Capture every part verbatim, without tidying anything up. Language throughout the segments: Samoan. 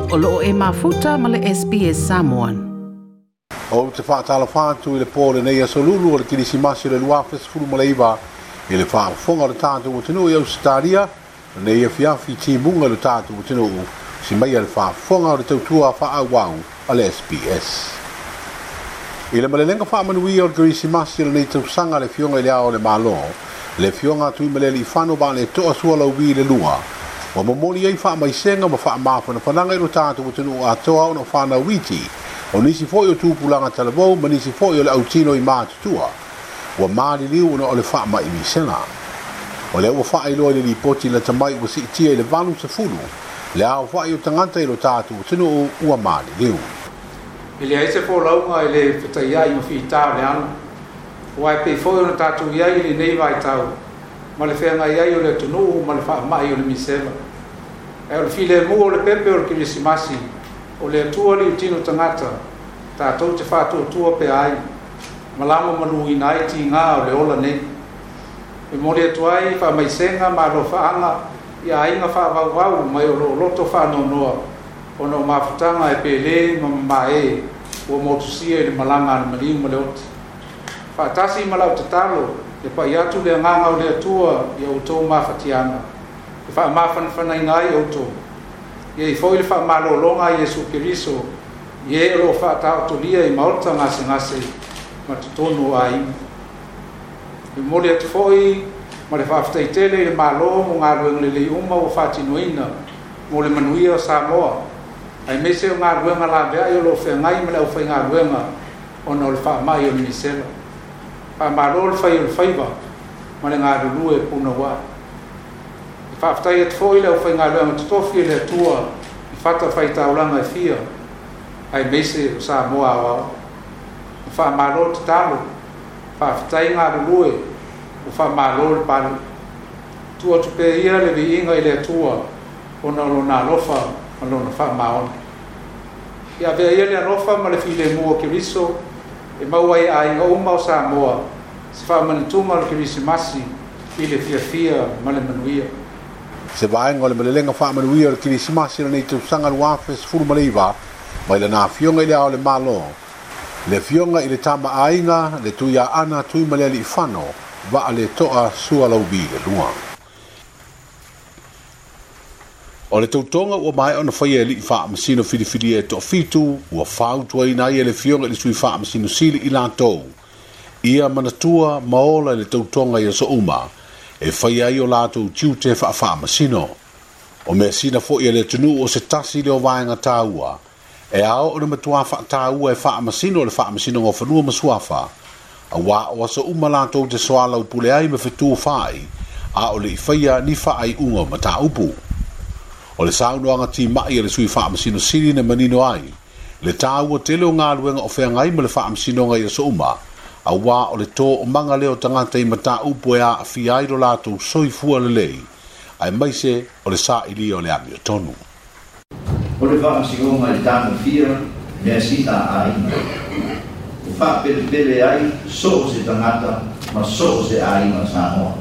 O loo e mafuta ma le S B S Samoan. O te whaatala whātu i le pōle nei aso lulu o le kirisimasi o le luafe sefulu ma le iva i le whaafonga o le tātou atunuu i Ausetalia, nei e fiafi timunga le tātou atunuu si mai a le whaafonga o le tautua whaauau a le S B S. I le malelenga whaamanuia o le kirisimasi o le nei tausanga le fionga i le ao o le Malo, le fionga tui malele i whano ba le toa sua lau wi le lua. Wa momoli ai whaamaisenga ma whaamawhanafananga i lo tātou atunuu atoa ona whanau iti. O nisi foi o tupulanga talavou ma nisi foi o le autino i mātutua. Ua maaliliu ona o le whaama i misena. O le ua whaailoa i le lipoti la tamai ua siitia i le valu sefulu. Le ao whaai o tangata i lo tātou atunuu ua maaliliu. I le aise fōlaunga i le whetaiai ma whita o le anu. Ua e pei foi ona tātou iai i le nei vai tau. Ma le whenga iai o le atunuu ma le whaamai o le misela. E o le file mua o le pepe o le kirisimasi. O le atua li utino tangata, tātou te whātua pe ai, malama malu ina ai ti ngā o le ola nei. E mori atu ai whaamaisenga ma alo whaanga i a inga whaavauau mai o lo loto whaanonoa o no mafutanga e pele ma mamae ua motusia i le malanga a le maliu ma le oti. Whaatasi ma lau tatalo e pai atu le anganga o le atua i au tō mawhatianga. E whaamawhanawhanaina ai au tō. Ia i foi le whaamalolonga a Iesu Keriso, i e o lo whaataotolia i maota ngase ngase ma totonu o aiga. E momoli atu foi ma le faafetaitele i le Malo mo galuega lelei uma ua faatinoina mo le manuia o Samoa, aemaise o galuega laveai o loo feagai ma le aufaigaluega ona o le faamai o le misela. Faamalo le fai o le faiva ma le galulue punauai. E faafetai atu foi le aufaigaluega totofi e le Atua i fata faitaulaga e fia aemaise o Samoa aoao. E faamalo tatalo, faafetai galulue, ua faamalo le pale. Tuu atu pea ia le viiga i le Atua ona o lona alofa ma lona faamaoni. Ia avea ia le alofa ma le filemu o Keriso e maua ai aiga uma o Samoa se faamanatuga o le kerisimasi i le fiafia ma le manuia. Se vaenga o le malelenga faamanuia o le kirisimasi o lenei tausaga luafe sefulu ma le iva, mai lana afioga i le ao o le Malo, le afioga i le tama aiga, le Tuiaana Tuimalealiifano, vaa le toa sua lau vi le lua. O le tautoga ua maea ona faia e alii faamasino filifilia e toafitu, ua fautuaina ai e le afioga i le sui faamasino sili i latou. Ia manatua ma ola i le tautoga i aso uma, e faia ai o latou tiute faafaamasino. O mea sina foi e le atunuu o se tasi le o vaega taua, e ao o le matua faataua e faamasino le faamasinoga o fanua ma suafa, auā o aso uma latou te soalau pule ai ma fetu faai, a o le i faia ni faaiuga o mataupu. O le saunoaga timai a le sui faamasino sili na manino ai, le taua tele o galuega o feagai ma le faamasinoga i aso uma, auā o le tō o manga leo tagata i mataupu e aafia ai lo latou soifua lelei, aemaise o le sa'ilia o le amiotonu. O le faamasinoga i le tagofia mea sina a aiga. E faapelepele ai so o se tagata ma so o se aiga Samoa.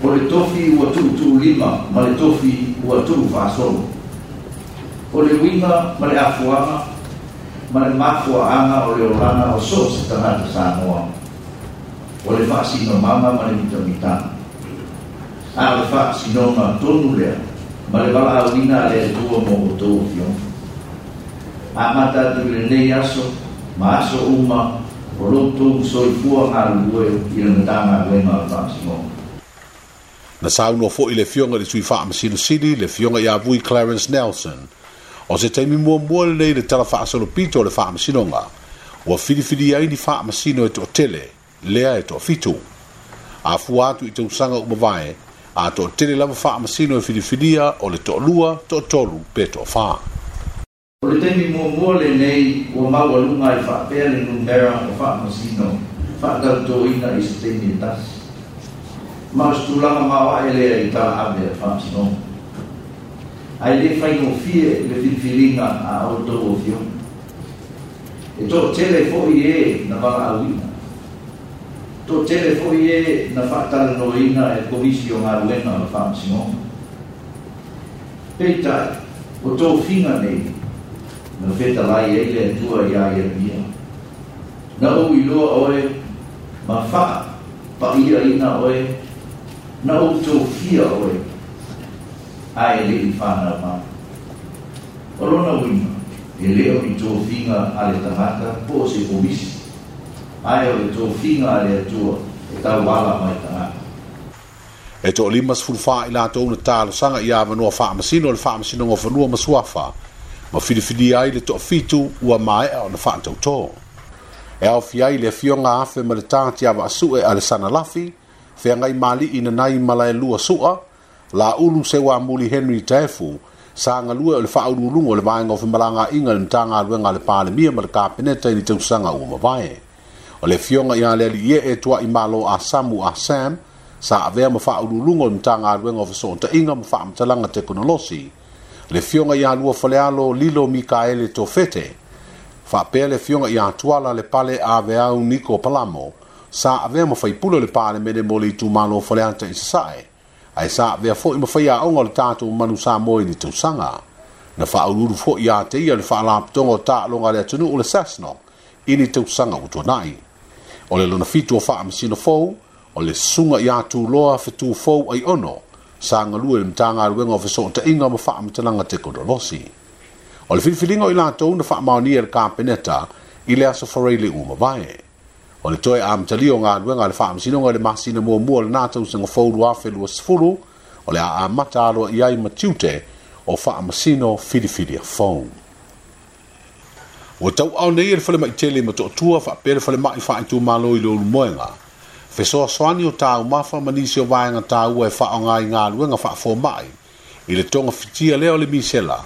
O le tofi ua tuutuulima ma le tofi ua tuufaasolo. O le uiga ma le afuaga ma le mafuaaga o le olaga o so o se tagata Samoa. O le faasinomaga ma le mitamitaga. A o le faasinoga tonu lea ma le valaauina a le Atua mo outou afioga. Amata atu i lenei aso ma aso uma o loutou soifua galulue i le Matagaluega o le Faamasinoga. Na saunoa foi le afioga i le sui faamasino sili, le afioga ia Vui Clarence Nelson. O se taimi muamua lenei le tala faasolopito o le faamasinoga, ua filifili ai ni faamasino e toatele, lea e toafitu. Afua atu i tausaga uma vae, a toatele lava faamasino e filifilia o le toalua, toatolu pe toafā. O le taimi muamua lenei ua maualuga ai faapea le numera o faamasino faatautoina i se taimi e tasi. Ma o se tulaga maoae lea i tala ave a le faamasinoga. Ae le faigofie le filifiliga a outou afioga. E toatele foi e na valaauina. Toatele foi e na faatalanoaina e le komisi o galuega o le faamasinoga. Peitai, O tofiga nei na fetalai ai le Atua iā Ieremia. Na ou iloa oe ma faapa'iaina oe, na ou tofia oe ae le'i fanau mai. O lona uiga e lē o ni tofiga a le tagata po o se komisi, ae o le tofiga a le Atua e tauala mai tagata. E toalima sefulu fa i latou na talosaga i avanoa faamasino o le Faamasinoga o Fanua ma Suafa ma filifilia ai le toafitu ua maea ona faatautō. E aofia ai le afioga Afe ma le Tati Avaasu'e a le Sanalafi, Feagai Mali'i Nanai Malaelua Su'a, Laulu Seuamuli Henry Taefu, sa galue o le faauluuluga o le Vaega o Femalagaaiga le Matagaluega a le Palemia ma le Kapeneta i le tausaga ua mavae. O le afioga ia le Alii e Tua'i Malo Asamu Ah Sam, sa avea ma faauluuluga o le Matagaluega o Fesoota'iga ma Faamatalaga Tekonolosi. Le afioga ia Lua Falealo Lilo Mikaele Tofete, faapea le afioga ia Tuala le Pale Aveau Niko Palamo, sa avea ma faipule o le Palemene mo le itumalo Faleata i Sasa'e, ae sa avea fo'i ma faiaoga o le tatou Manu Samoa i le tausaga. Na faauluulu fo'i ia te ia le Faalapotoga o Taaloga a le atunuu, le SASNOC, i le tausaga ua tuana'i. O le lona fitu o faamasino fou o le susuga ia Tuloa Fetufou Aiono, sa galue le Matagaluega o Fesoota'iga ma Faamatalaga Tekonolosi. O le filifiliga o i latou na faamaonia e le Kapeneta i le aso Faraile ua mavae. O le toe amatalia o galuega a le Faamasinoga i le masina muamua o lenā tausaga fou luafe luasefulu, o le a amata aloaia ai ma tiute o faamasino filifilia fou. Ua tauaao nei e le falema'i tele i Motootua faapea le falema'i faaitumalo i Leulumoega fesoasoani o taumafa ma nisi o vaega taua e faaaoga i galuega faafoma'i i le togafitia lea o le misela,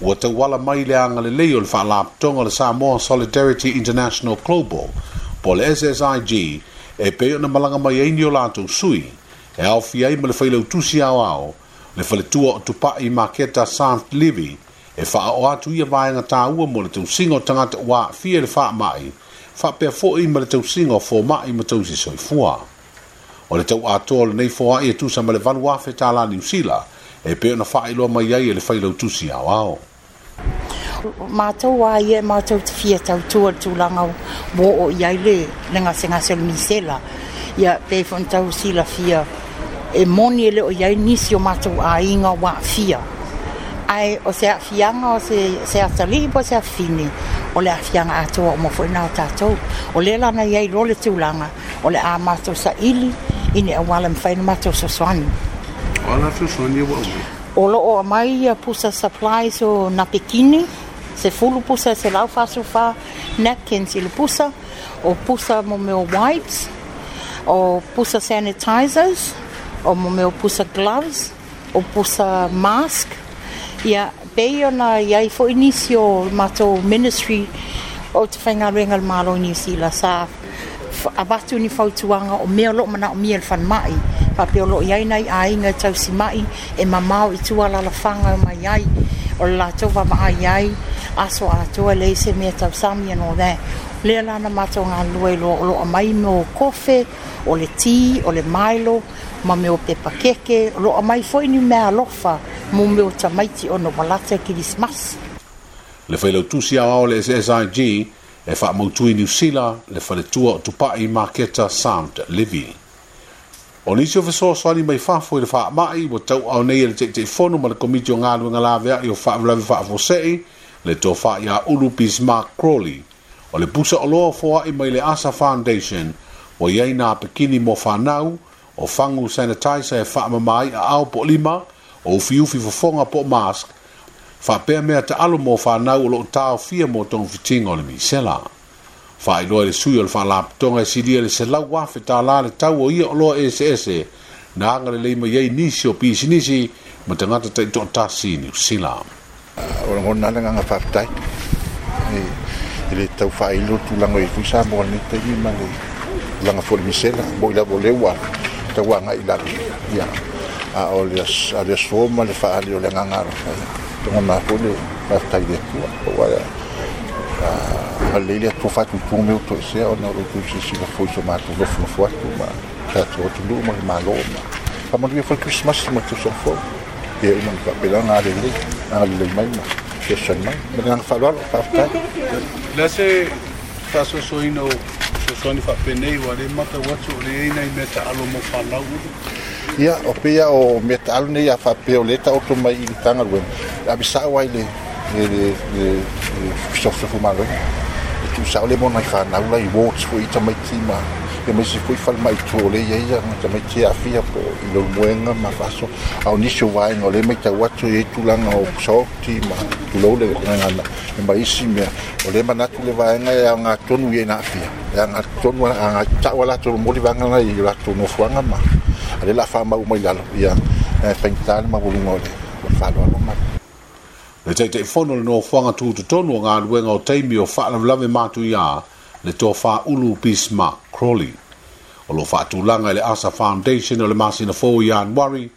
ua tauala mai le agalelei o le Faalapotopotoga o le Samoa Solidarity International Global po le S S I G, e pei ona malaga mai ai ni o latou sui, e aofia ai ma le failautusi aoao le faletua o Tupa'i Maketa Sant Livi, e faaoo atu ia vaega taua mo le tausiga o tagata ua aafia i le faama'i, faapea fo'i ma le tausiga o foma'i ma tausi soifua. O le tau atoa o lenei foa'i e tusa ma le valu afe tālā Niusila, e pei ona faailoa mai ai e le failautusi aoao. Matou a ia e matou te fia tautua le tulaga ua oo i ai le le gasegase o le misela. Ia pe foi tau silafia e moni e le o i ai nisi o matou aiga ua aafia. Ae o se aafiaga o se, se atalii po o se afafine, o le aafiaga atoa uma foi na o tatou. O lea lana i ai loa le tulaga, o le a matou saili i ni auala mafai ona matou fesoasoani. O ala fesoasoani ua aumai? O loo aumai ia pusa supplies o napekini, sefulu pusa selau fa'asefulufa napkins i le pusa, o pusa mo mea o wipes, o pusa sanitizers, o mo mea o pusa gloves, o pusa mask. Ia pei ona iai fo'i nisi o matou ministry o te faigaluega le Malo i Niusila sa avatu ni fautuaga o mea o loo manaomia le falemai, faapea o loo iai nai aiga e tausima'i e mamao i tua alalafaga mai ai o le latou vaavaai ai aso atoa leai se mea tausami and all that. Lea la na matou galulue loa o loo aumai mo kofe, o le ti, o le Milo ma mea o pepa keke. O loo aumai foi ni mea alofa mo mea o tamaiti ona ua lata Kerisimasi. Le failautusi aoao le S S I G e faamautui i Niusila, le faletua o Tupa'i Maketa Sant Livi. O nisi o fesoasoani mai fafo i le faama'i ua tauaao nei e le Taitaifono ma le Komiti o Galuega Lavea'i o Faalavelave Faafuasei, le tofa ia Ulu Bismarck Crawley. O le pusa oloa foa'i mai le Asa Foundation ua i ai napekini mo fanau, o fagu sanitizer e faamama ai aao po o lima, o ufiufi fofoga po o mask, faapea mea taalo mo fanau o loo taofia mo togafitiga o le misela. Faailoa e le sui o le faalapotopotoga e silia le selau afe tālā le tau o ia oloa eseese na agalelei mai ai nisi o pisinisi ma tagata taitoatasi i Niusila. O lagona le agaga faafetai e le tau faailo tulaga i foi Samoa lenei taimi ma le tulaga foi le misela mo i lava o lea ua tau agai i lalo ia a o le a le aso ma le faaali o le agaga alofa ia lagona foi le faafetai i le Atua ua alelei le Atua faatutu mea ua toesea ona o lo outou silasila foi i so matou nofonofo atu ma tatou atunuu ma le Malo ma faamanuia foi le Kerisimasi ma le tausaga fou. Ia uma na faapena ona agalelei agalelei mai ma fesoasoani mai. Ma le agaga faaaloalo, faafetai. Le se faasoasoaina o fesoasoani faapenei ua le matau atu o le i ai nai mea taalo mo fanau. Ia, o pei o mea taalo nei a faapea o lea e taoto mai i le Matagaluega, e ave sao ai le le le le fesofosofu galuega. E tuusao le mo nai fanau la i wards foi i tamaiti ma ia ma isi foi falemai i tua o lea e i ai tamaiti e aafia po i leulumoega ma faasoa. A o nisi o vaega o lea e matau atu e i ai tulaga o pusaoti ma tulou le gagana ma isi mea o lea e manatu le vaega e aoga tonu i ai na aafia e aoga tonu agai tau a latou momoli vaega na i o latou nofoaga ma a lea o le a faamau mai lalo ia e faigata le maualuga o le faaaloalo ma le Taitaifono o le nofoaga tutotonu o galuega o taimi o faalavelave matuia le tofa Ulu Bismarck Crawley. O lo faatulaga i le Asa Foundation o le masina fou i Ianuari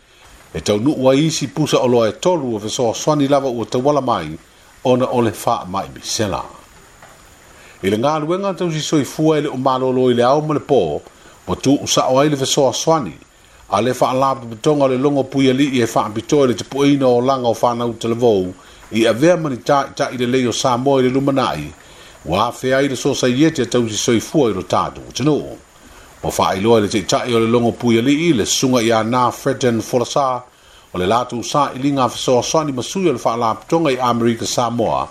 e taunuu ai isi pusa oloa e tolu o fesoasoani lava ua tauala mai ona o le faamai misela. I le galuega tausi soifua e le o malolo i le ao ma le po, ua tuusao ai le fesoasoani a le faalapotopotoga o le logo puialii e faapitoa i le tapueina o olaga o fanau talavou i avea ma ni taʻitaʻi lelei o Samoa i le lumanai, ua afea ai le sosaiete a tausi soifua i lo tatou atunuu. Ua faailoa i le taʻitaʻi o le logo puialii le susuga ia Na Freden Folasa o le latou sailiga fesoasoani ma sui o le faalapotopotoga i Amerika Samoa,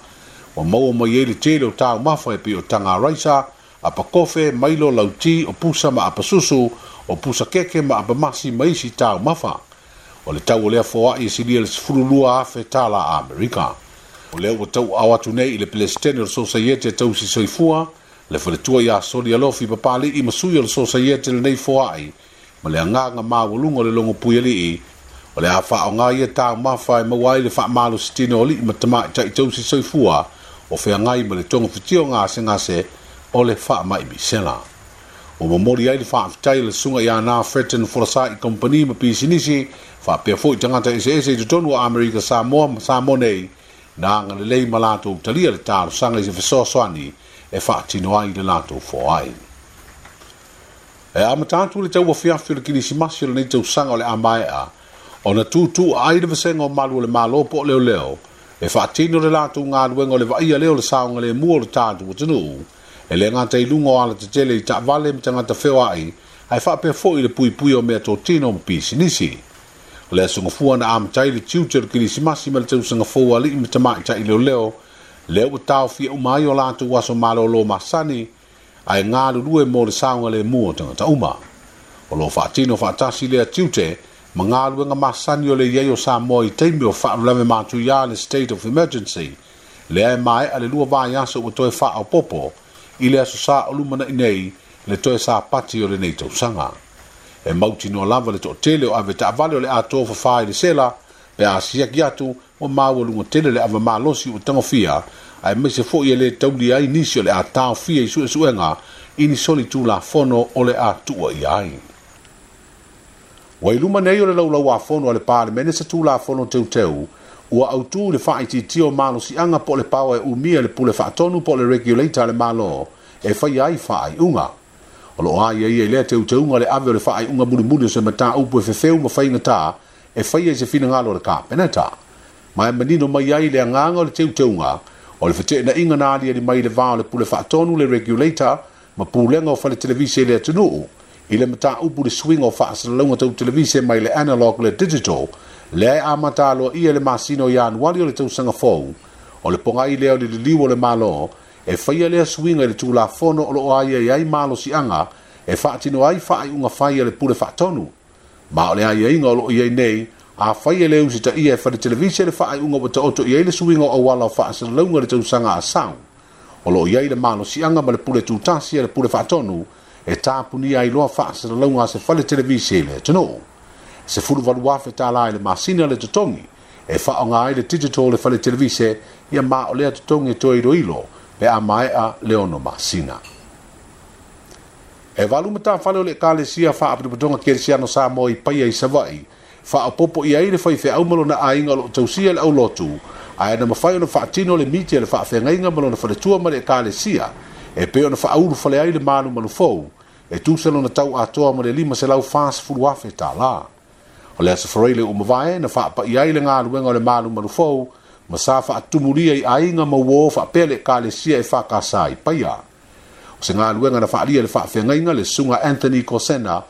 ua maua mai ai le tele o taumafa e pei o taga raisa, apakofe, mailo, lauti, o pusa ma apasusu, o pusa keke ma apamasi ma isi taumafa. O le tau o lea foai e silia le sefululua afe tala Amerika. O lea ua tauaao atu nei i le Peresetene o le Sosaiete Tausi Soifua, le faletua ia Soli Alofi Papali'i ma sui o le Sosaiete lenei foai, ma le agaga maualuga o le logo puialii, o le a faaaoga ia taumafa e maua ai le faamalositino o alii ma tamaitai tausi soifua o feagai ma le togafitio gasegase o le faamai misela. Ua momoli ai le faafetai le susuga ia Na Freten Folasa i kompani ma pisinisi, faapea foi tagata eseese i totonu o Amerika Samoa ma Samoa nei, na agalelei ma latou talia le talosaga i se fesoasoani e faatino ai le latou foai. E amata atu le tauafiafi o le kilisimasi o lenei tausaga o le a maea, ona tutu ai le vasega o malu o le malo po o leoleo, e faatino le latou galuega o le vaaia lea o le saogalemu o le tatou atunuu, e le gata i luga o alatetele i taavale ma tagata feoai, ae faapea foi le puipui o mea totino ma pisinisi. O le aso gafua na amatai le tiute o le kilisimasi ma le tausaga fou a alii ma tamaitai leoleo, lea ua taofia uma ai o latou aso malolo masani, ae galulue mo le saogalemu o tagata uma. O lo faatino faatasi lea tiute, ma galuega masani o le i ai o Samoa i taimi o faalavelave matuia le state of emergency, lea e maea le lua vaiaso ua toe faaopoopo i le aso sa o lumanai nei le toe sapati o lenei tausaga. E mautinoa lava le toatele o ave taavale o le atoa fafā i le sela, pe a siaki atu ua maualuga tele le ava malosi ua tagofia, aemaise foi e le taulia ai nisi o le a taofia i suesuega i ni soli tulafono o le a tuua ia ai. Ua i luma nei o le laulauafono a le Palemene se tulafono teuteu, ua autū le faaitiitia o malosiaga po o le power e umia le pule faatonu po o le regulator a le Malo e faia ai faaiuga. O loo aiaia i lea teuteuga le ave o le faaiuga mulimuli o se mataupu e fefeu ma faigata e faia i se finagalo o le Kapeneta. Ma e manino mai ai le agaga o le teuteuga o le feteenaiga na aliali mai le va o le pule faatonu le regulator ma pulega o fale televise i le atunuu i le mataupu le suiga o faasalalauga tau televise mai le analog le digital, lea e amata aloaia le masina o Ianuari o le tausaga fou. O le pogai lea o le liliu o le Malo e faia lea suiga i le tulafono o loo aiai ai malosiaga e faatino ai faaiuga fai a le pule faatonu. Ma o le aiaiga o loo i ai nei, a fai e le usitaia e fale televise le faaiuga ua taoto i ai le suiga o auala o faasalalauga i le tausaga a sau. O loo i ai le malosiaga ma le pule tutasi a le pule faatonu e tapunia ai loa faasalalauga a se fale televise i le atunuu. Sefulu valu afe tālā i le masina le totogi e faaaoga ai le digital le fale televise ia ma o lea totogi e toe iloilo pe a maea le ono masina. E valu matafale o le Ekalesia Faapotopotoga Kerisiano Samoa i Paia i Savaii, faaopoopo i ai le faifeau ma lona aiga o loo tausia le aulotu, ae na mafai ona faatino le miti a le faafeagaiga ma lona faletua ma le Ekalesia e pei ona faaulufale ai le malumalu fou e tusa lona tau atoa ma le lima selau fasefulu afe tālā. O le aso Faraile ua mavae na faapa'i ai le galuega o le malumalu fou ma sa faatumulia i aiga ma uō faapea le Ekalesia e Faakasā i Paia. O se galuega na faalia e le faafeagaiga le susuga Anthony Kosena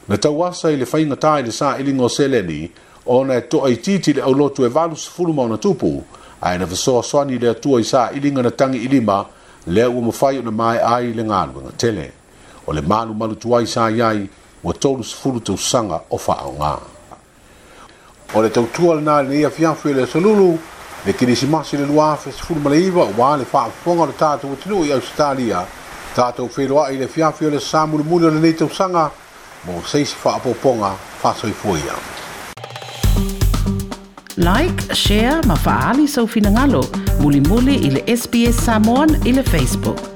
na tauasa i le faigatā i le sailiga o seleni ona e toaitiiti le aulotu e valusefulu ma ona tupu, ae na fesoasoani le Atua i sailiga na tagi i lima lea ua mafai ona maea ai le galuega tele. O le malumalu tuai sa i ai ua tolusefulu tausaga o faaaogā. O le tautua lenā i lenei afiafi o le aso Lulu, le Kerisimasi le lua afe sefulu ma le iva, ua le faafofoga o le tatou atunuu i Ausetalia, tatou feiloai i le afiafi o le aso Sa mulimuli o lenei tausaga mo se isi faaopoopoga faasoifua ia. Like, share ma faaali sou finagalo mulimuli i le S B S Samoan i le Facebook.